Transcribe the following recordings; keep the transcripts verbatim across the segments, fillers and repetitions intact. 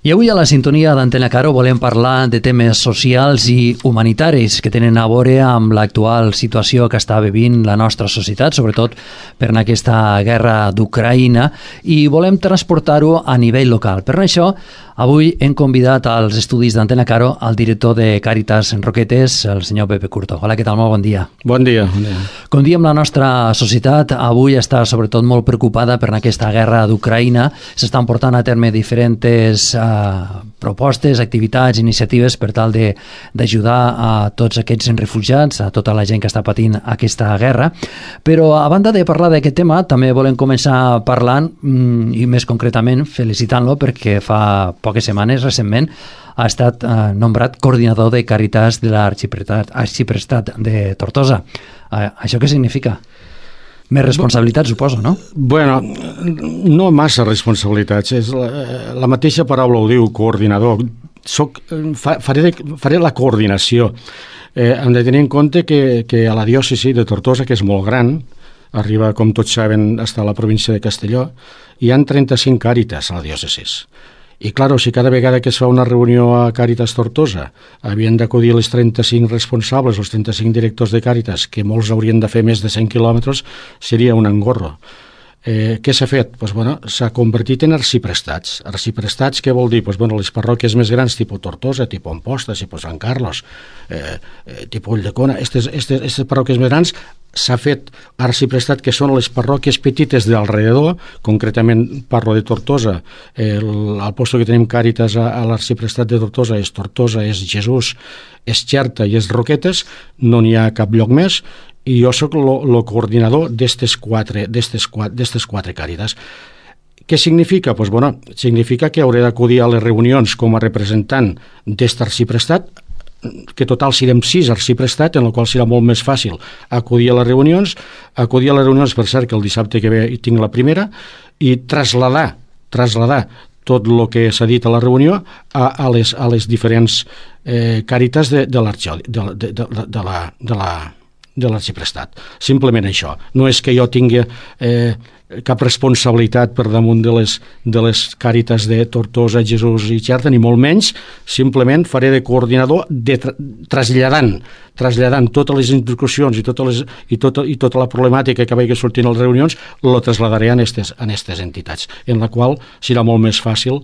I avui a la sintonia d'Antena Caro volem parlar de temes socials i humanitaris que tenen a veure amb l'actual situació que està vivint la nostra societat, sobretot per aquesta guerra d'Ucraïna, i volem transportar-ho a nivell local. Per això, avui hem convidat als estudis d'Antena Caro al director de Càritas Roquetes, el senyor Pepe Curto. Hola, què tal? Molt bon dia. Bon dia. Bon dia. Com diem, la nostra societat avui està sobretot molt preocupada per aquesta guerra d'Ucraïna. S'estan portant a terme diferents eh, propostes, activitats, iniciatives per tal d'ajudar a tots aquests refugiats, a tota la gent que està patint aquesta guerra. Però a banda de parlar d'aquest tema, també volem començar parlant, i més concretament felicitant-lo, perquè fa poques setmanes, recentment, ha estat eh, nombrat coordinador de Càritas de l'Arxiprestat de Tortosa. Eh, això què significa? Més responsabilitat, suposo, no? Bueno, no massa responsabilitats. És la, la mateixa paraula ho diu, coordinador. Soc, fa, faré, de, faré la coordinació. Eh, hem de tenir en compte que, que a la diòcesi de Tortosa, que és molt gran, arriba, com tots saben, fins a la província de Castelló, hi ha trenta-cinc càritas a la diòcesi. I, clar, si cada vegada que es fa una reunió a Càritas Tortosa havien d'acudir les trenta-cinc responsables, els trenta-cinc directors de Càritas, que molts haurien de fer més de cent quilòmetres, seria un engorro. Eh, què s'ha fet? Pues, bueno, s'ha convertit en arxiprestats. Arxiprestats, què vol dir? Pues, bueno, les parròquies més grans, tipus Tortosa, tipus Amposta, tipus Sant Carlos, eh, eh, tipus Ulldecona, aquestes, aquestes, aquestes parròquies més grans, s'ha fet arxiprestat, que són les parròquies petites d'alrededor. Concretament parlo de Tortosa. Eh, el, el lloc que tenim Càritas a, a l'arxiprestat de Tortosa és Tortosa, és Jesús, és Xerta i és Roquetes, no n'hi ha cap lloc més, i jo sóc el coordinador d'estes quatre, d'estes quatre, d'estes quatre càritas. Què significa? Pues, bueno, significa que hauré d'acudir a les reunions com a representant d'est arxiprestat, que total serem sis arxiprestat, en la qual serà molt més fàcil acudir a les reunions, acudir a les reunions, per cert, que el dissabte que ve hi tinc la primera, i traslladar, traslladar tot el que s'ha dit a la reunió a, a, les, a les diferents eh, càritas de, de l'arxiprestat. De, de, de, de la, de la de l'arxiprestat. Simplement això. No és que jo tingui eh, cap responsabilitat per damunt de les, de les càritas de Tortosa, Jesús i Xerta, ni molt menys. Simplement faré de coordinador de tra traslladant, traslladant totes les instruccions i, totes les, i, tota, i tota la problemàtica que vagi sortint a les reunions, la trasladaré a aquestes entitats, en la qual serà molt més fàcil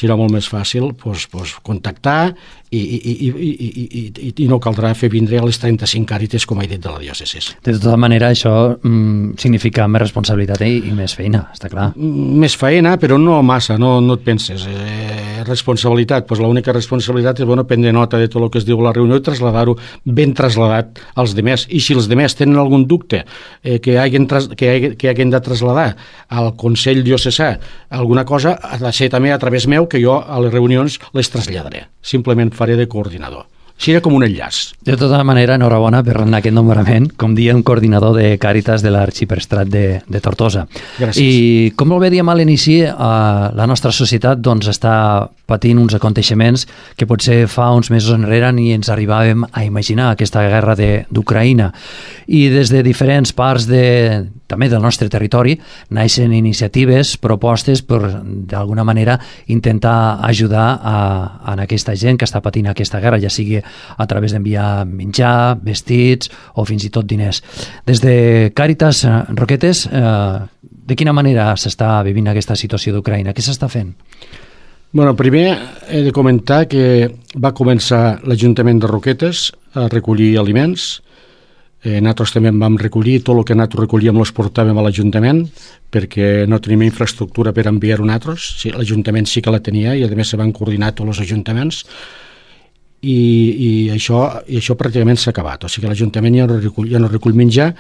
serà molt més fàcil pues, pues, contactar i, i, i, i, i, i, i no caldrà fer vindre a les trenta-cinc càrites, com he dit, de la diòcesi. De tota manera, això mm, significa més responsabilitat i, i més feina, està clar. Més feina, però no massa, no, no et penses. Eh, responsabilitat, pues l'única responsabilitat és bueno, prendre nota de tot el que es diu a la reunió i traslladar-ho ben trasladat als demés. I si els demés tenen algun dubte eh, que, hagin tras, que, hagin, que hagin de traslladar al Consell Diocesà alguna cosa, ha de ser també a través meu, que jo a les reunions les traslladaré. Simplement faré de coordinador. Serà com un enllaç. De tota manera, enhorabona per aquest nombrament, com diem, coordinador de Càritas de l'Arxiprestat de, de Tortosa. Gràcies. I com molt bé diem a l'inici, eh, la nostra societat doncs, està patint uns aconteixements que potser fa uns mesos enrere ni ens arribàvem a imaginar, aquesta guerra d'Ucraïna. I des de diferents parts de, també del nostre territori naixen iniciatives, propostes per d'alguna manera intentar ajudar a, a aquesta gent que està patint aquesta guerra, ja sigui a través d'enviar menjar, vestits o fins i tot diners. Des de Càritas Roquetes, eh, de quina manera s'està vivint aquesta situació d'Ucraïna? Què s'està fent? Bueno, primer he de comentar que va començar l'Ajuntament de Roquetes a recollir aliments. Eh, nosaltres també en vam recollir, tot el que nosaltres recollíem els portàvem a l'Ajuntament perquè no tenim infraestructura per enviar-ho nosaltres. Sí, l'Ajuntament sí que la tenia i a més se van coordinar tots els ajuntaments. I, i, això, i això pràcticament s'ha acabat. O sigui que l'Ajuntament ja no recull, ja no recull menjar,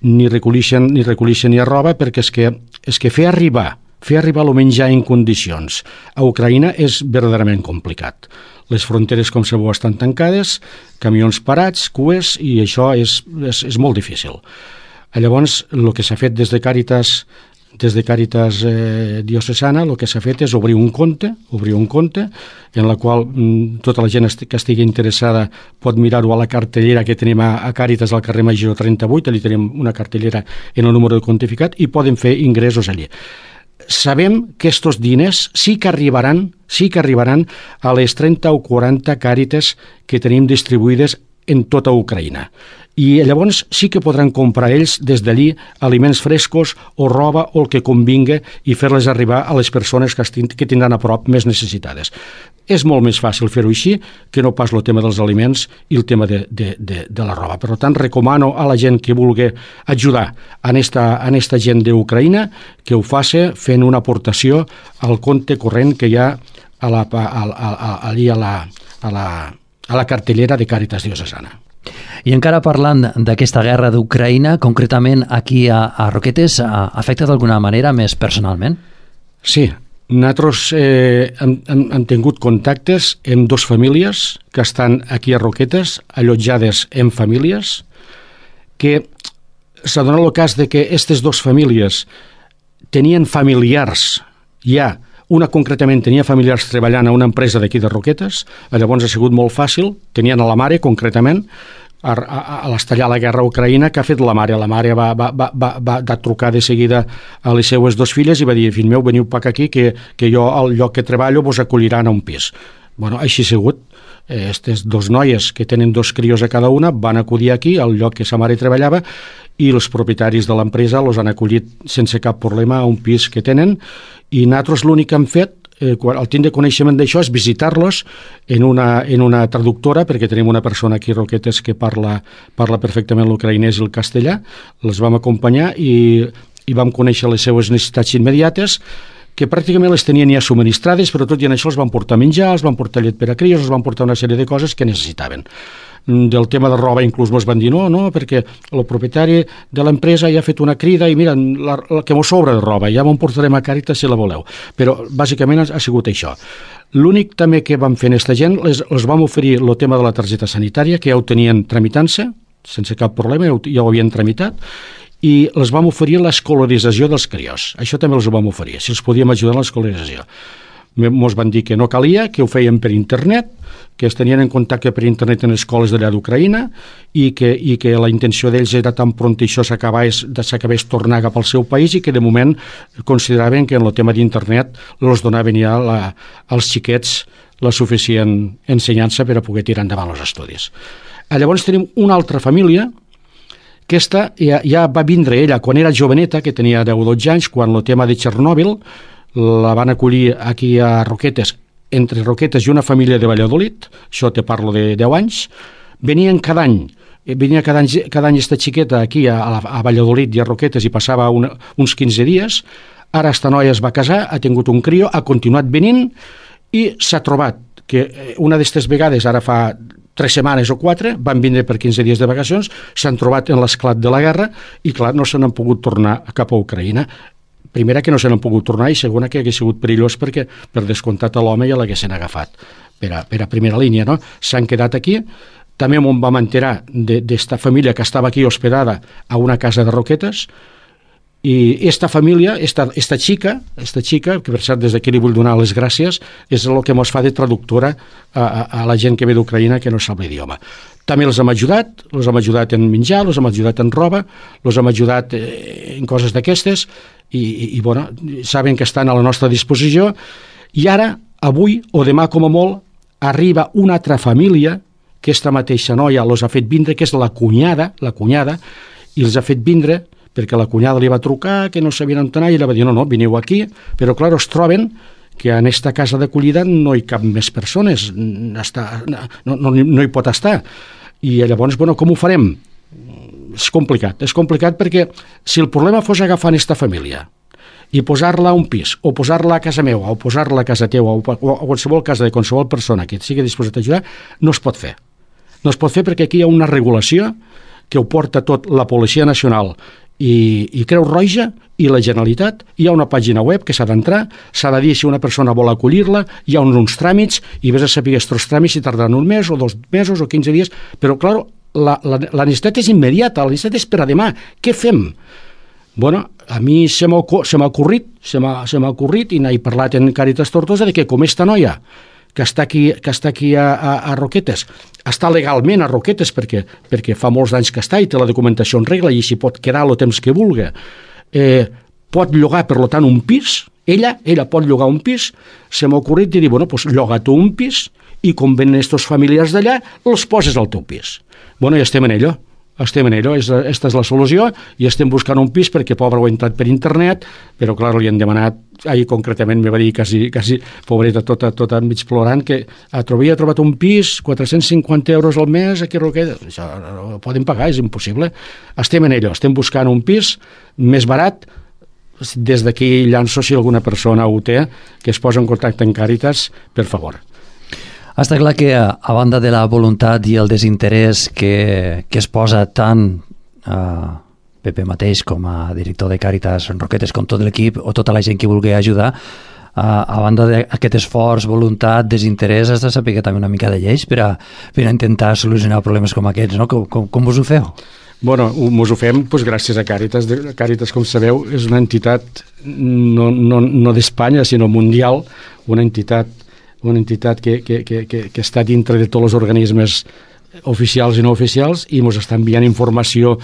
ni recollixen ni, recollixen ni roba, perquè és que, és que fer arribar fer arribar el menjar en condicions a Ucraïna és verdaderament complicat. Les fronteres, com sabeu, estan tancades, camions parats, cues, i això és, és, és molt difícil. Llavors, el que s'ha fet des de Càritas des de Càritas eh, Diocesana, el que s'ha fet és obrir un compte, obrir un compte, en la qual mm, tota la gent que estigui interessada pot mirar-ho a la cartellera que tenim a, a Càritas al carrer Major trenta-vuit, allà tenim una cartellera en el número de comptificat i poden fer ingressos allí. Sabem que estos diners sí que arribaran, sí que arribaran a les trenta o quaranta Càritas que tenim distribuïdes en tota Ucraïna. I llavors sí que podran comprar ells des d'allí aliments frescos o roba o el que convinga i fer-les arribar a les persones que, estin, que tindran a prop més necessitades. És molt més fàcil fer-ho així que no pas el tema dels aliments i el tema de, de, de, de la roba. Per tant, recomano a la gent que vulgui ajudar a esta, a esta gent d'Ucraïna que ho faci fent una aportació al compte corrent que hi ha a la, a, a, a, allí a la, a, la, a la cartellera de Càritas Diocesana. I encara parlant d'aquesta guerra d'Ucraïna, concretament aquí a, a Roquetes, afecta d'alguna manera més personalment? Sí, nosaltres eh, hem, hem, hem tingut contactes amb dues famílies que estan aquí a Roquetes, allotjades en famílies, que s'ha donat el cas de que aquestes dues famílies tenien familiars ja. Una concretament tenia familiars treballant a una empresa d'aquí de Roquetes, llavors ha sigut molt fàcil, tenien a la mare concretament, a, a, a l'estallar la guerra a Ucraïna, que ha fet la mare? La mare va, va, va, va, va trucar de seguida a les seues dues filles i va dir, fill meu, veniu per aquí, que, que jo al lloc que treballo vos acolliran a un pis. Bueno, així ha sigut. Aquestes dos noies que tenen dos crios a cada una van acudir aquí, al lloc que sa mare treballava, i els propietaris de l'empresa els han acollit sense cap problema a un pis que tenen, i nosaltres l'únic que hem fet, eh, al tindre coneixement d'això, és visitar-los en una, en una traductora, perquè tenim una persona aquí a Roquetes que parla, parla perfectament l'ucraïnès i el castellà, les vam acompanyar i, i vam conèixer les seues necessitats immediates, que pràcticament les tenien ja subministrades, però tot i en això els van portar menjar, els van portar llet per a crios, els van portar una sèrie de coses que necessitaven. Del tema de roba inclús mos van dir no, no, perquè el propietari de l'empresa ja ha fet una crida i mira, la, la que mos sobra de roba, ja m'ho portarem a Càritas si la voleu. Però bàsicament ha sigut això. L'únic també que vam fer a aquesta gent, les, els vam oferir el tema de la targeta sanitària, que ja ho tenien tramitant-se, sense cap problema, ja ho havien tramitat, i els vam oferir l'escolarització dels crios. Això també els ho vam oferir, si els podíem ajudar en l'escolarització. Ens van dir que no calia, que ho feien per internet, que es tenien en contacte per internet en escoles d'allà d'Ucraïna i que, i que la intenció d'ells era tan pront això s'acabés tornar cap al seu país i que de moment consideraven que en el tema d'internet els donaven ja la, als xiquets la suficient ensenyança per a poder tirar endavant els estudis. Llavors tenim una altra família. Aquesta ja, ja va vindre ella quan era joveneta, que tenia deu o dotze anys, quan el tema de Txernòbil la van acollir aquí a Roquetes, entre Roquetes i una família de Valladolid, això te parlo de deu anys, venien cada any, venia cada any, cada any esta xiqueta aquí a, a Valladolid i a Roquetes i passava una, uns quinze dies, ara esta noia es va casar, ha tingut un crio, ha continuat venint i s'ha trobat que una d'aquestes vegades, ara fa tres setmanes o quatre, van vindre per quinze dies de vacacions, s'han trobat en l'esclat de la guerra i, clar, no se n'han pogut tornar cap a Ucraïna. Primera, que no se n'han pogut tornar, i segona, que hagués sigut perillós perquè, per descomptat, a l'home ja l'haguessin agafat per a, per a primera línia, no? S'han quedat aquí. També m'ho vam enterar d'esta família que estava aquí hospedada a una casa de Roquetes, i esta família, esta, esta xica, esta xica, que per cert des d'aquí li vull donar les gràcies, és el que ens fa de traductora a, a, a la gent que ve d'Ucraïna que no sap l'idioma. També els hem ajudat, els hem ajudat en menjar, els hem ajudat en roba, els hem ajudat en coses d'aquestes, i, i, i bueno, saben que estan a la nostra disposició, i ara, avui o demà com a molt, arriba una altra família, que esta mateixa noia els ha fet vindre, que és la cunyada, la cunyada, i els ha fet vindre perquè la cunyada li va trucar, que no sabien on anar, i ella va dir, no, no, veniu aquí, però clar, es troben que en aquesta casa d'acollida no hi cap més persones, està, no, no, no hi pot estar. I llavors, bueno, com ho farem? És complicat, és complicat perquè si el problema fos agafar aquesta família i posar-la a un pis, o posar-la a casa meva, o posar-la a casa teua, o a qualsevol casa de qualsevol persona que et sigui disposat a ajudar, no es pot fer. No es pot fer perquè aquí hi ha una regulació que ho porta tot la Policia Nacional i, i Creu Roja i la Generalitat. Hi ha una pàgina web que s'ha d'entrar, s'ha de dir si una persona vol acollir-la, hi ha uns, uns tràmits, i vés a saber aquests tràmits si tardaran un mes o dos mesos o quinze dies, però clar, la, la, la necessitat és immediata, la necessitat és per a demà. Què fem? Bueno, a mi se m'ha ocorrit, se m'ha ocorrit, i n'he parlat en Càritas Tortosa, de que com esta noia que està aquí, que està aquí a, a, a Roquetes, està legalment a Roquetes perquè, perquè fa molts anys que està i té la documentació en regla i s'hi pot quedar el temps que vulgui, eh, pot llogar, per tant, un pis, Ella, ella pot llogar un pis, se m'ha ocorrit i dir, bueno, doncs lloga tu un pis i com venen estos familiars d'allà, els poses al teu pis. Bueno, i estem en ello. Estem en ello, aquesta és la solució, i estem buscant un pis perquè pobre ho ha entrat per internet, però clar, li han demanat, ahir concretament me va dir quasi, quasi pobreta, tota, tota mig plorant, que havia trobat un pis, quatre-cents cinquanta euros al mes, aquí a Roquetes, això no ho poden pagar, és impossible. Estem en ello, estem buscant un pis més barat. Des d'aquí llanço, si alguna persona ho té, que es posa en contacte amb Càritas, per favor. Està clar que, a banda de la voluntat i el desinterès que, que es posa tant a Pepe mateix com a director de Càritas Roquetes, com tot l'equip o tota la gent que vulgui ajudar, a, a banda d'aquest esforç, voluntat, desinterès, has de saber també una mica de lleis per a, per a intentar solucionar problemes com aquests, no? Com, com, com us ho feu? Bueno, ens ho fem doncs, gràcies a Càritas. Càritas, com sabeu, és una entitat no, no, no d'Espanya, sinó mundial, una entitat una entitat que, que, que, que està dintre de tots els organismes oficials i no oficials i ens està enviant informació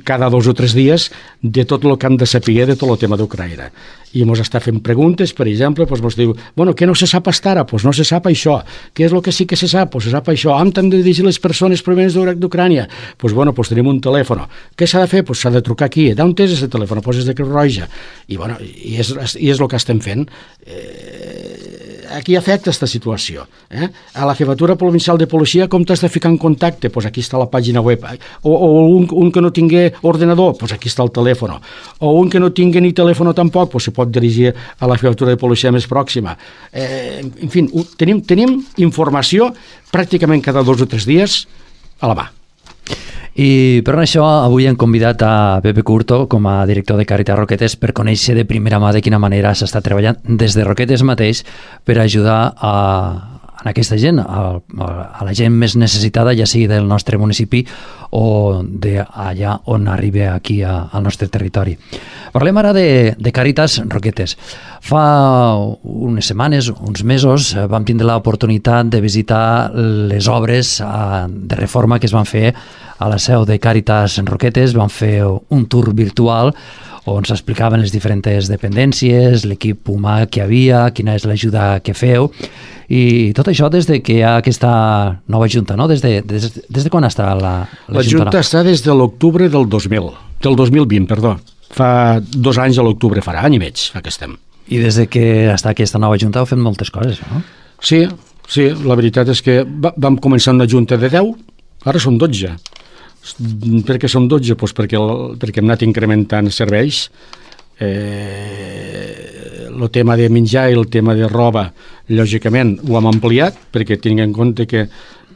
cada dos o tres dies de tot el que hem de saber de tot el tema d'Ucraïna. I ens està fent preguntes, per exemple, doncs ens diu, bueno, què no se sap fins ara? Doncs no se sap això. Què és el que sí que se sap? Doncs se sap això. On han de dirigir les persones provenents d'Ucrània? Doncs bueno, doncs tenim un telèfon. Què s'ha de fer? Doncs s'ha de trucar aquí. D'on és aquest telèfon? Doncs és de Creu Roja. I, bueno, i, és, i és el que estem fent. Eh, aquí afecta aquesta situació. Eh? A la Jefatura Provincial de Policia, com t'has de ficar en contacte? Doncs aquí està la pàgina web. O, o un, un que no tingui ordenador, doncs aquí està el telèfon. O un que no tingui ni telèfon tampoc, doncs se pot dirigir a la Jefatura de Policia més pròxima. Eh, en fi, tenim, tenim informació pràcticament cada dos o tres dies a la mà. I per això avui hem convidat a Pepe Curto com a director de Càritas Roquetes per conèixer de primera mà de quina manera s'està treballant des de Roquetes mateix per ajudar a, a aquesta gent, a, a la gent més necessitada, ja sigui del nostre municipi o d'allà on arribi aquí a, al nostre territori. Parlem ara de, de Càritas Roquetes. Fa unes setmanes, uns mesos, vam tindre l'oportunitat de visitar les obres de reforma que es van fer a la seu de Càritas Roquetes. Vam fer un tour virtual on s'explicaven les diferents dependències, l'equip humà que hi havia, quina és l'ajuda que feu, i tot això des de que hi ha aquesta nova junta, no? Des de, des, des de quan està la, la, la junta? La junta està des de l'octubre del dos mil, del dos mil vint, perdó. Fa dos anys a l'octubre, farà any i mig, fa que estem. I des de que està aquesta nova junta heu fet moltes coses, no? Sí, sí, la veritat és que vam començar una junta de deu, ara som dotze. Per què som dotze? Pues perquè, perquè hem anat incrementant serveis. Eh, el tema de menjar i el tema de roba, lògicament, ho hem ampliat, perquè tinguem en compte que,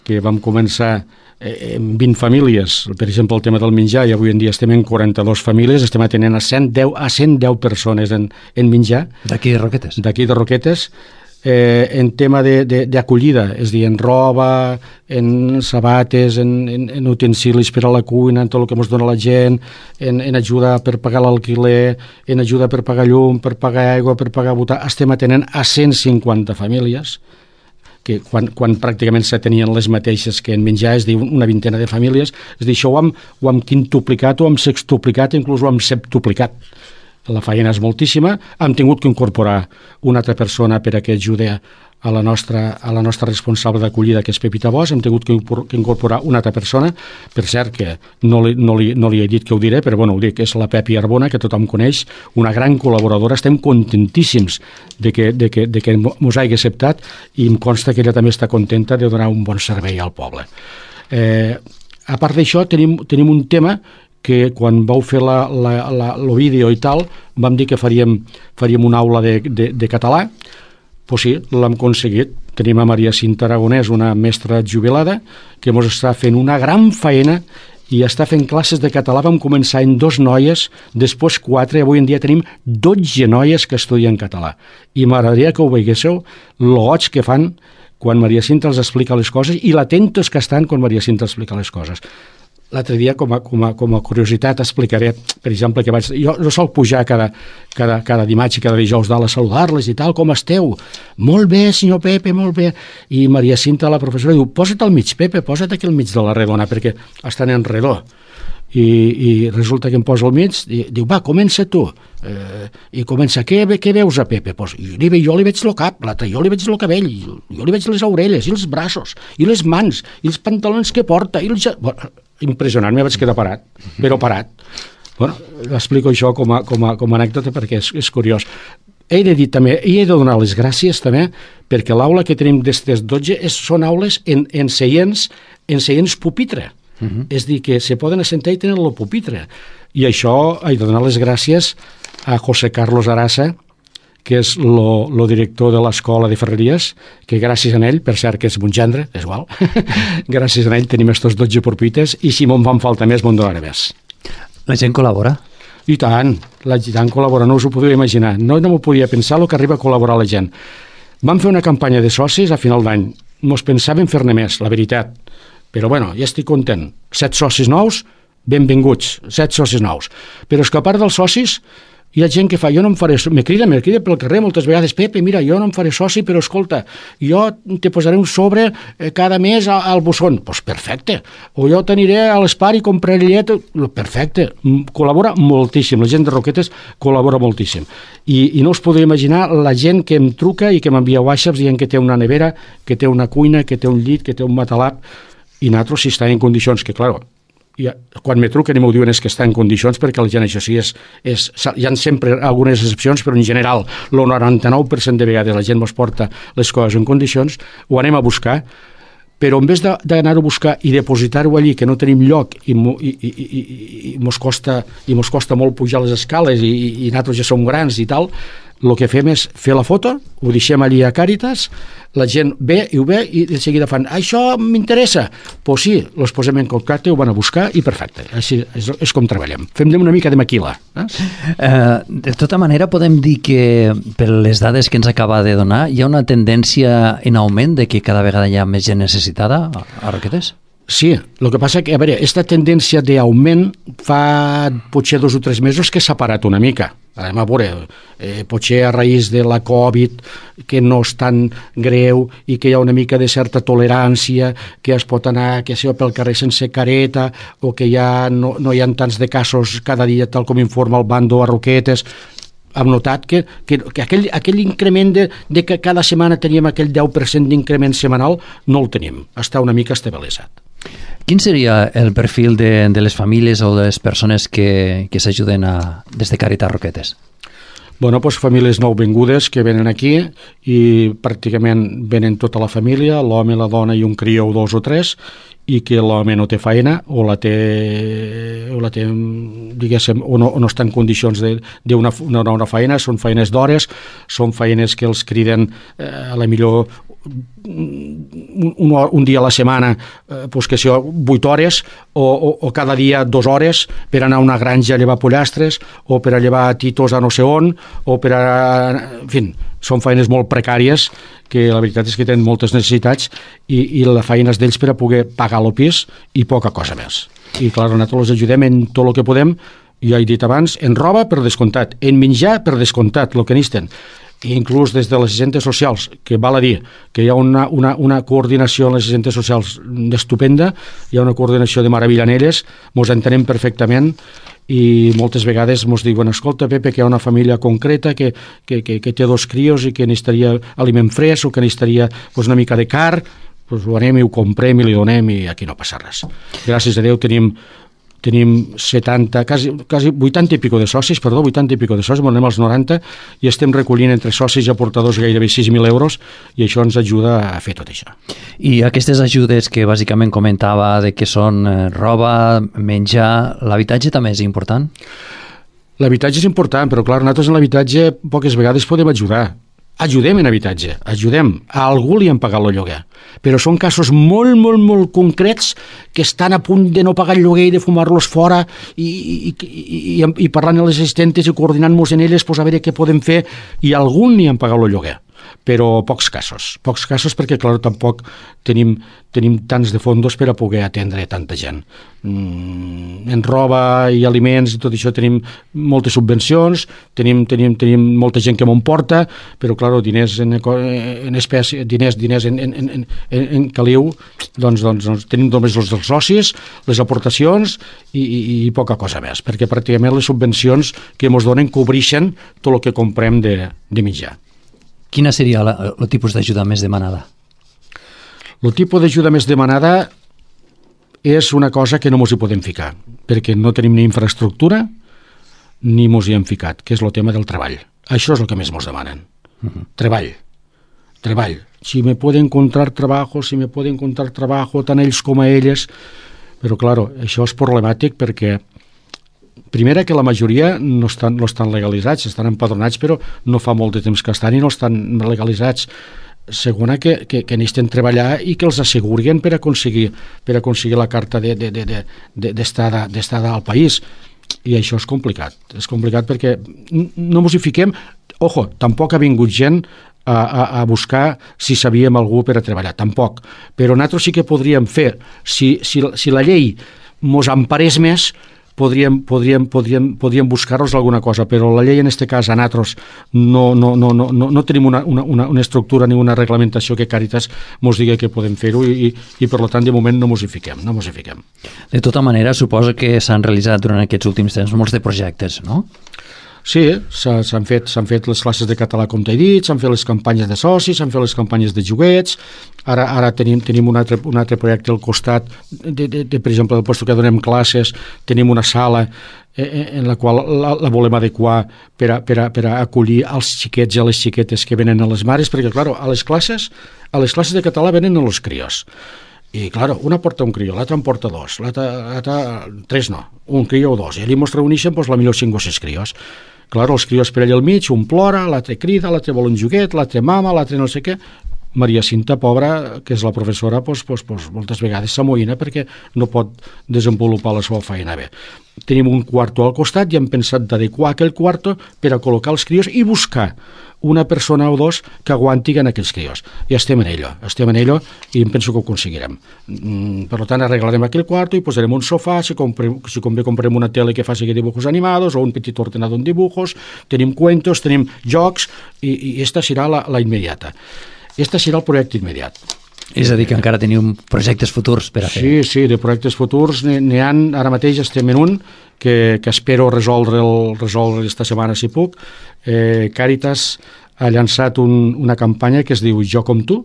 que vam començar eh, amb vint famílies, per exemple, el tema del menjar, i avui en dia estem en quaranta-dues famílies, estem atenent a cent deu, a cent deu persones en, en menjar. D'aquí de Roquetes? D'aquí de Roquetes. Eh, en tema d'acollida, és a dir, en roba, en sabates, en, en, en utensilis per a la cuina, en tot el que ens dona la gent, en, en ajuda per pagar l'alquiler, en ajuda per pagar llum, per pagar aigua, per pagar botar. Estem atenent a cent cinquanta famílies, que quan, quan pràcticament s'atenien les mateixes que en menjar, és a dir, una vintena de famílies. És a dir, això ho hem, ho hem quintuplicat, ho hem sextuplicat, inclús ho hem septuplicat. La feina és moltíssima. Hem tingut que incorporar una altra persona per a que ajudi a la nostra, a la nostra responsable d'acollida, que és Pepita Bosch. Hem tingut que incorporar una altra persona. Per cert, que no li, no li, no li he dit que ho diré, però bueno, ho dic, és la Pepi Arbona, que tothom coneix, una gran col·laboradora. Estem contentíssims de que, de que, de que mos hagi acceptat, i em consta que ella també està contenta de donar un bon servei al poble. Eh, a part d'això, tenim, tenim un tema que quan vau fer la, la, la, el vídeo i tal, vam dir que faríem, faríem una aula de, de, de català. Pues sí, l'hem aconseguit. Tenim a Maria Cinta Aragonès, una mestra jubilada, que ens està fent una gran feina i està fent classes de català. Vam començar en dos noies, després quatre, avui en dia tenim dotze noies que estudien català. I m'agradaria que ho veiéssiu, el goig que fan quan Maria Cinta els explica les coses i l'atentos que estan quan Maria Cinta explica les coses. L'altre dia, com a, com, a, com a curiositat, explicaré, per exemple, que vaig, jo, jo sol pujar cada, cada, cada dimarts i cada dijous dalt a saludar-les i tal, com esteu? Molt bé, senyor Pepe, molt bé. I Maria Cinta, la professora, diu, posa't al mig, Pepe, posa't aquí al mig de la redona, perquè estan en redó. i, i resulta que em posa al mig i diu, va, comença tu. Eh, I comença, què, què veus a Pepe? Pues, jo, li, jo li veig el cap, l'altre jo li veig el cabell, jo li veig les orelles i els braços, i les mans, i els pantalons que porta, i els... Bueno, impressionant, me vaig quedar parat, però parat. Bueno, explico això com a, com a, com a anècdota perquè és, és curiós. He de dir també, i he de donar les gràcies també, perquè l'aula que tenim d'estes dotze és, són aules en, en seients, en seients pupitre. Uh -huh. És dir, que se poden assentar i tenen el pupitre. I això he de donar les gràcies a José Carlos Arasa, que és el director de l'Escola de Ferreries, que gràcies a ell, per cert que és mon gendre, és igual, gràcies a ell tenim estos dotze pupitres i si me'n fan falta més, me'n donaré més. La gent col·labora? I tant, la gent col·labora, no us ho podria imaginar. No, no m'ho podia pensar el que arriba a col·laborar la gent. Vam fer una campanya de socis a final d'any. Mos pensàvem fer-ne més, la veritat. Però bueno, ja estic content. Set socis nous, benvinguts, set socis nous. Però és que a part dels socis, hi ha gent que fa, jo no em faré, me crida, me crida pel carrer moltes vegades, Pepe, mira, jo no em faré soci, però escolta, jo te posaré un sobre eh, cada mes al, al bussón. Doncs pues perfecte. O jo t'aniré a l'Espar i compraré llet. Perfecte. Col·labora moltíssim. La gent de Roquetes col·labora moltíssim. I, i no us podeu imaginar la gent que em truca i que m'envia whatsapps dient que té una nevera, que té una cuina, que té un llit, que té un matalap, i nosaltres si està en condicions que, clar, ja, quan me truquen i m'ho diuen és que està en condicions, perquè la gent això sí és, és, hi ha sempre algunes excepcions, però en general el noranta-nou per cent de vegades la gent mos porta les coses en condicions, ho anem a buscar, però en vez d'anar-ho a buscar i depositar-ho allí, que no tenim lloc i, i, i, i, i, mos costa, i mos costa molt pujar les escales i, i, i nosaltres ja som grans i tal, el que fem és fer la foto, ho deixem allí a Càritas, la gent ve i ho ve i de seguida fan, això m'interessa, doncs pues sí, els posem en contacte, ho van a buscar i perfecte, així és, és com treballem, fem una mica de maquila. Eh? Uh, de tota manera podem dir que per les dades que ens acaba de donar hi ha una tendència en augment de que cada vegada hi ha més gent necessitada a Roquetes? Sí, el que passa que, a veure, aquesta tendència d'augment fa potser dos o tres mesos que s'ha parat una mica. Anem a veure, eh, potser a raïs de la Covid, que no és tan greu i que hi ha una mica de certa tolerància, que es pot anar que sigui pel carrer sense careta o que ja no, no hi ha tants de casos cada dia, tal com informa el Bando a Roquetes. Hem notat que, que, que aquell, aquell increment de, de que cada setmana teníem aquell deu per cent d'increment setmanal no el tenim, està una mica estabilitzat. Quin seria el perfil de, de les famílies o de les persones que, que s'ajuden a, des de Càritas Roquetes? Bueno, doncs famílies nouvingudes que venen aquí i pràcticament venen tota la família, l'home, la dona i un crió o dos o tres, i que l'home no té feina o la té, o la té diguéssim, o no, o no està en condicions d'una una, una feina, són feines d'hores, són feines que els criden eh, a la millor un, un, un dia a la setmana, eh, pues que sigui vuit hores o, o, o cada dia dues hores per anar a una granja a llevar pollastres o per a llevar titos a no sé on o per a... en fi, són feines molt precàries que la veritat és que tenen moltes necessitats i, i la feina és d'ells per a poder pagar el pis i poca cosa més. I clar, nosaltres els ajudem en tot el que podem, ja he dit abans, en roba per descomptat, en menjar per descomptat, el que necessiten. I inclús des de les agentes socials, que val a dir que hi ha una, una, una coordinació en les agentes socials estupenda, hi ha una coordinació de meravella en elles, mos entenem perfectament i moltes vegades mos diuen, escolta Pepe, que hi ha una família concreta que, que, que, que té dos crios i que necessitaria aliment fresc o que necessitaria pues, una mica de car, pues, ho anem i ho comprem i li donem i aquí no passa res. Gràcies a Déu tenim tenim setanta, quasi, quasi vuitanta i pico de socis, perdó, vuitanta i pico de socis, anem als noranta i estem recollint entre socis i aportadors gairebé sis mil euros i això ens ajuda a fer tot això. I aquestes ajudes que bàsicament comentava de que són roba, menjar, l'habitatge també és important? L'habitatge és important, però clar, nosaltres en l'habitatge poques vegades podem ajudar. Ajudem en habitatge, ajudem. A algú li han pagat el lloguer. Però són casos molt, molt, molt concrets que estan a punt de no pagar el lloguer i de fumar-los fora i, i, i, i, i parlant amb les assistentes i coordinant-nos en elles pues, a veure què podem fer i a algun li han pagat el lloguer. però pocs casos. Pocs casos perquè, clar, tampoc tenim, tenim tants de fondos per a poder atendre tanta gent. Mm, en roba i aliments i tot això tenim moltes subvencions, tenim, tenim, tenim molta gent que m'ho porta, però, clar, diners en, en espècie, diners, diners en, en, en, en, en caliu, doncs, doncs, doncs tenim només els dels socis, les aportacions i, i, i poca cosa més, perquè pràcticament les subvencions que ens donen cobreixen tot el que comprem de, de mitjà. Quina seria el tipus d'ajuda més demanada? El tipus d'ajuda més demanada és una cosa que no ens hi podem ficar, perquè no tenim ni infraestructura ni ens hi hem ficat, que és el tema del treball. Això és el que més ens demanen. Uh-huh. Treball. Treball. Si me pueden encontrar trabajo, si me pueden encontrar trabajo, tant ells com a elles. Però, clar, això és problemàtic perquè primera, que la majoria no estan, no estan legalitzats, estan empadronats, però no fa molt de temps que estan i no estan legalitzats. Segona, que, que, que necessiten treballar i que els assegurin per aconseguir, per aconseguir la carta d'estada de, de, de, de, d'estada al país. I això és complicat. És complicat perquè no ens hi fiquem. Ojo, tampoc ha vingut gent a, a, a buscar si sabíem algú per a treballar, tampoc. Però nosaltres sí que podríem fer, si, si, si la llei mos emparés més, podríem, podríem, podríem, podríem buscar-nos alguna cosa, però la llei en aquest cas a nosaltres no, no, no, no, no, no tenim una, una, una estructura ni una reglamentació que Càritas ens digui que podem fer-ho i, i, i per tant de moment no ens hi fiquem, no ens hi fiquem. De tota manera, suposo que s'han realitzat durant aquests últims temps molts de projectes, no? Sí, s'han fet, s'han fet les classes de català, com t'he dit, s'han fet les campanyes de socis, s'han fet les campanyes de joguets, ara, ara tenim, tenim un, altre, un altre projecte al costat, de, de, de, per exemple, del lloc que donem classes, tenim una sala eh, en la qual la, la volem adequar per a, per, a, per a acollir els xiquets i les xiquetes que venen a les mares, perquè, clar, a les classes, a les classes de català venen els crios. I, clar, una porta un crió, l'altra en porta dos, l'altra tres no, un crió o dos, i allà ens reuneixen doncs, la millor cinc o sis crios. Clar, els crios per allà al mig, un plora, l'altre crida, l'altre vol un joguet, l'altre mama, l'altre no sé què. Maria Cinta, pobra, que és la professora, doncs, doncs, doncs, moltes vegades s'amoïna perquè no pot desenvolupar la seva feina bé. Tenim un quarto al costat i hem pensat d'adequar aquell quarto per a col·locar els crios i buscar una persona o dos que aguantin aquells crios. I estem en ello, estem en ello i em penso que ho aconseguirem. Mm, per tant, arreglarem aquell quarto i posarem un sofà, si, comprem, si convé comprem una tele que faci dibujos animados o un petit ordenador en dibujos, tenim cuentos, tenim jocs i, i esta serà la, la immediata. Este serà el projecte immediat. És a dir, que encara teniu projectes futurs per a fer. Sí, sí, de projectes futurs n'hi ha, ara mateix estem en un que, que espero resoldre el, resoldre esta setmana si puc. Eh, Càritas ha llançat un, una campanya que es diu Jo com tu.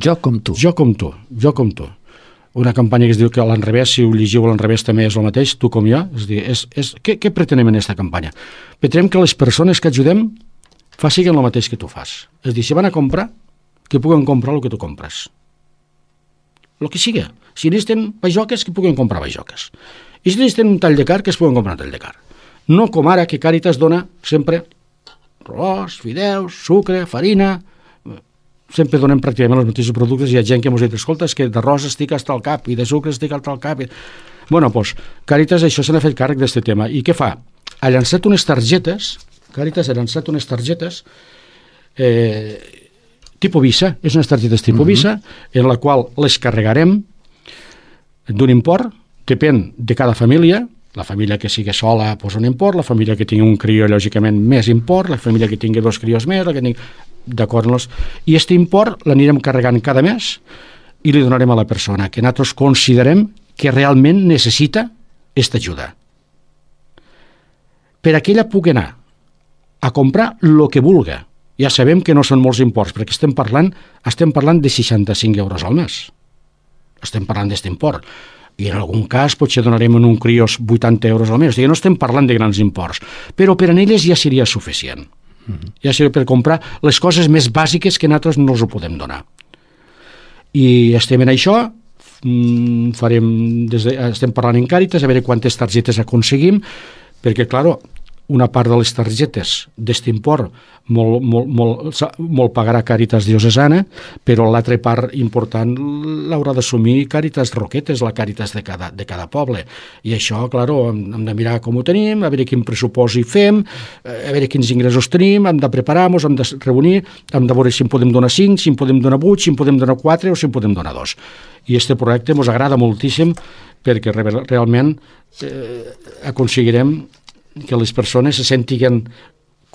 Jo com tu. Jo com tu, jo com tu. Una campanya que es diu que a l'enrevés, si ho llegiu a l'enrevés també és el mateix, tu com jo. És dir, és, és, què, què pretenem en aquesta campanya? Pretenem que les persones que ajudem facin el mateix que tu fas. És dir, si van a comprar, que puguen comprar el que tu compres. El que sigui. Si necessiten bajoques, que puguen comprar bajoques. I si necessiten un tall de car, que es puguen comprar un tall de car. No com ara, que Càritas dona sempre arròs, fideus, sucre, farina. Sempre donem pràcticament els mateixos productes. Hi ha gent que ens dit, escolta, és que d'arròs estic hasta el cap i de sucre estic hasta el cap. Bueno, doncs, Càritas això se n'ha fet càrrec d'aquest tema. I què fa? Ha llançat unes targetes, Càritas ha llançat unes targetes eh, tipus Visa, és unes targetes tipus uh-huh. Visa, en la qual les carregarem d'un import, depèn de cada família. La família que sigui sola posa un import, la família que tingui un crió, lògicament, més import, la família que tingui dos crios més, la que tingui... d'acord amb els... I aquest import l'anirem carregant cada mes i li donarem a la persona que nosaltres considerem que realment necessita aquesta ajuda. Per a que ella pugui anar a comprar el que vulgui. Ja sabem que no són molts imports, perquè estem parlant, estem parlant de seixanta-cinc euros al mes. Estem parlant d'aquest import. I en algun cas potser donarem en un crios vuitanta euros al mes. O sigui, no estem parlant de grans imports, però per a elles ja seria suficient. Uh-huh. Ja seria per comprar les coses més bàsiques que nosaltres no els ho podem donar. I estem en això, farem des de, estem parlant en Càritas, a veure quantes targetes aconseguim, perquè, clar, una part de les targetes d'este import molt, molt, molt, molt pagarà Càritas Diocesana, però l'altra part important l'haurà d'assumir Càritas Roquetes, la Càritas de cada, de cada poble. I això, clar, hem, hem de mirar com ho tenim, a veure quin pressupost hi fem, a veure quins ingressos tenim, hem de preparar-nos, hem de reunir, hem de veure si en podem donar cinc, si en podem donar vuit, si en podem donar quatre o si en podem donar dos. I este projecte ens agrada moltíssim perquè realment eh, aconseguirem que les persones se sentiguen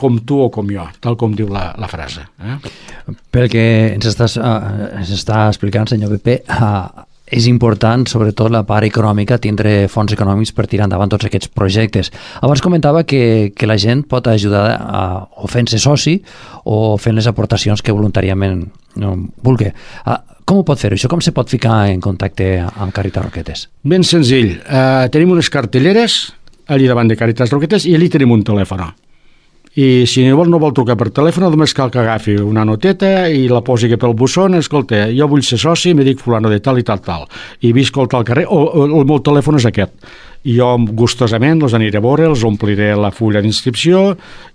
com tu o com jo, tal com diu la, la frase. Eh? Pel que ens, estàs, uh, ens està explicant, senyor Pepe, uh, és important, sobretot la part econòmica, tindre fons econòmics per tirar endavant tots aquests projectes. Abans comentava que, que la gent pot ajudar a, o fent-se soci o fent les aportacions que voluntàriament no, vulgui. Uh, com ho pot fer això? Com se pot ficar en contacte amb Càritas Roquetes? Ben senzill. Uh, tenim unes cartelleres allí davant de Càritas Roquetes i allí tenim un telèfon. I si no vol, no vol trucar per telèfon, només cal que agafi una noteta i la posi pel buzón. Escolta, jo vull ser soci, me dic fulano de tal i tal tal, i visc al tal carrer, o, o el meu telèfon és aquest. I jo gustosament els aniré a veure, els ompliré la fulla d'inscripció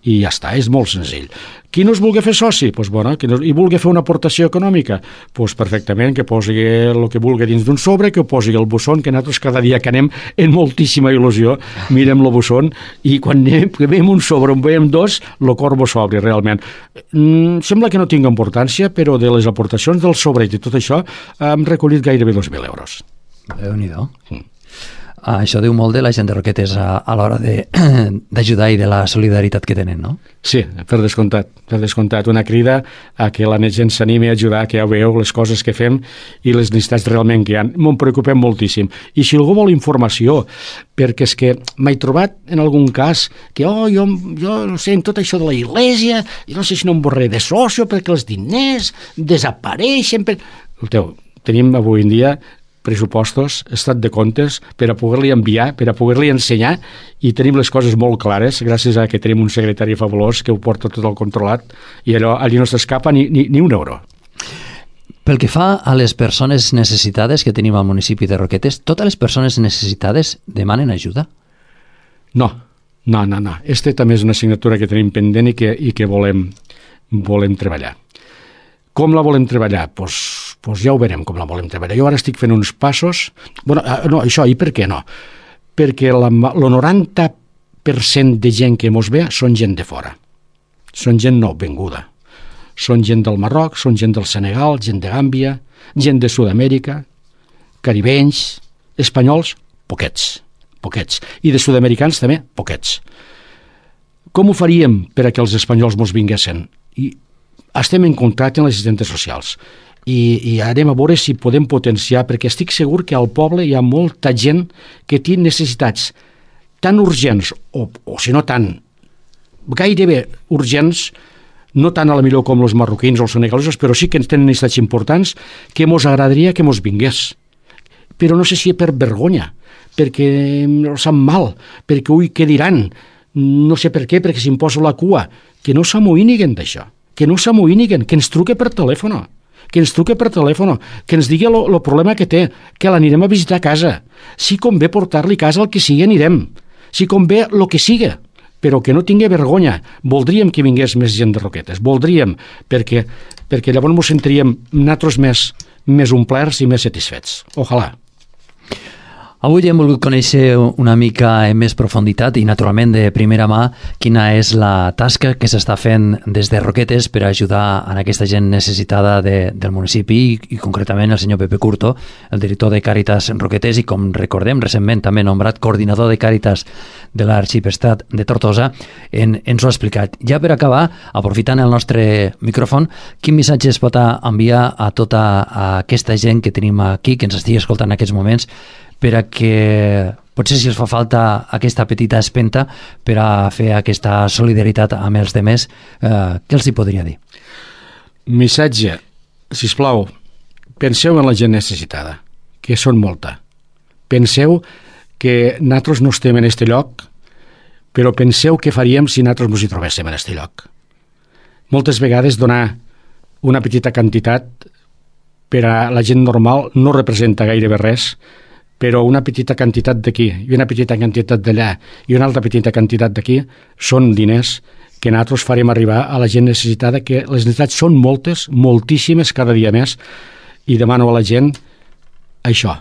i ja està, és molt senzill. Qui no es vulgui fer soci? Pues, bueno, qui no, i vulgui fer una aportació econòmica? Pues, perfectament, que posi el que vulgui dins d'un sobre, que ho posi al buzón, que nosaltres cada dia que anem en moltíssima il·lusió mirem el buzón i quan anem, que veiem un sobre, on veiem dos, el cor bo s'obri realment. Mm, sembla que no tinga importància, però de les aportacions del sobre i de tot això hem recollit gairebé dos mil euros. Déu-n'hi-do. Mm. Ah, això diu molt de la gent de Roquetes a, a l'hora d'ajudar i de la solidaritat que tenen, no? Sí, per descomptat, per descomptat. Una crida a que la gent s'animi a ajudar, que ja veieu les coses que fem i les necessitats realment que hi ha. M'ho preocupem moltíssim. I si algú vol informació, perquè és que m'he trobat en algun cas que, oh, jo, jo no sé, en tot això de la Iglesia, jo no sé si no em borré de socio perquè els diners desapareixen. Per... Escolteu, tenim avui en dia pressupostos, estat de comptes, per a poder-li enviar, per a poder-li ensenyar, i tenim les coses molt clares, gràcies a que tenim un secretari fabulós que ho porta tot el controlat, i allò, allí no s'escapa ni, ni, ni un euro. Pel que fa a les persones necessitades que tenim al municipi de Roquetes, totes les persones necessitades demanen ajuda? No, no, no, no. Este també és una assignatura que tenim pendent i que, i que volem, volem treballar. Com la volem treballar? Doncs pues, pues ja ho veurem com la volem treballar. Jo ara estic fent uns passos... Bueno, no, això, i per què no? Perquè la, el noranta per cent de gent que mos ve són gent de fora. Són gent no venguda. Són gent del Marroc, són gent del Senegal, gent de Gàmbia, gent de Sud-amèrica, caribenys, espanyols, poquets, poquets. I de sud-americans també, poquets. Com ho faríem per a que els espanyols mos vinguessin? I estem en contacte amb les assistentes socials i, i anem a veure si podem potenciar, perquè estic segur que al poble hi ha molta gent que té necessitats tan urgents, o, o si no tan, gairebé urgents, no tant a la millor com els marroquins o els senegalesos, però sí que tenen necessitats importants que mos agradaria que mos vingués. Però no sé si per vergonya, perquè no sap mal, perquè ui, què diran? No sé per què, perquè si em poso la cua. Que no s'amoïniguen d'això. Que no s'amoïniguen, que ens truque per telèfon, que ens truque per telèfon, que ens digui el problema que té, que l'anirem a visitar a casa. Si convé portar-li a casa el que sigui, anirem. Si convé el que sigui, però que no tingui vergonya. Voldríem que vingués més gent de Roquetes, voldríem, perquè, perquè llavors ens sentiríem nosaltres més, més omplerts i més satisfets. Ojalà. Avui hem volgut conèixer una mica en més profunditat i, naturalment, de primera mà, quina és la tasca que s'està fent des de Roquetes per ajudar a aquesta gent necessitada de, del municipi i, i, concretament, el senyor Pepe Curto, el director de Càritas Roquetes i, com recordem, recentment també nombrat coordinador de Càritas de l'Arxiprestat de Tortosa, en, ens ho ha explicat. Ja per acabar, aprofitant el nostre micròfon, quin missatge es pot enviar a tota a aquesta gent que tenim aquí, que ens estigui escoltant en aquests moments, per a que potser si els fa falta aquesta petita espenta per a fer aquesta solidaritat amb els demés, eh, què els hi podria dir? Missatge, sisplau, penseu en la gent necessitada, que són molta. Penseu que nosaltres no estem en este lloc, però penseu què faríem si nosaltres ens hi trobéssim en este lloc. Moltes vegades donar una petita quantitat per a la gent normal no representa gairebé res, però una petita quantitat d'aquí i una petita quantitat d'allà i una altra petita quantitat d'aquí són diners que nosaltres farem arribar a la gent necessitada, que les necessitats són moltes, moltíssimes cada dia més, i demano a la gent això,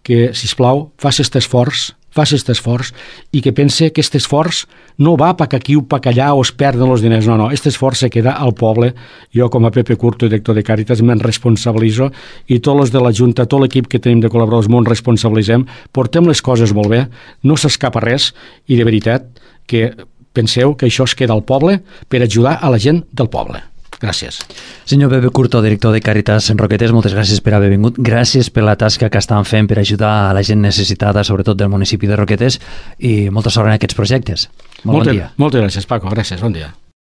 que, sisplau, faci aquest esforç, faci aquest esforç, i que pense que aquest esforç no va pa que aquí o pa que allà o es perden els diners, no, no, aquest esforç se queda al poble. Jo, com a Pepe Curto, director de Càritas, me'n responsabilitzo, i tots els de la Junta, tot l'equip que tenim de col·laboradors, m'ho responsabilitzem, portem les coses molt bé, no s'escapa res, i de veritat que penseu que això es queda al poble per ajudar a la gent del poble. Gràcies. Senyor Pepe Curto, director de Càritas en Roquetes, moltes gràcies per haver vingut. Gràcies per la tasca que estan fent per ajudar a la gent necessitada, sobretot del municipi de Roquetes, i molta sort en aquests projectes. Molt Moltes, bon dia. Moltes gràcies, Paco. Gràcies. Bon dia.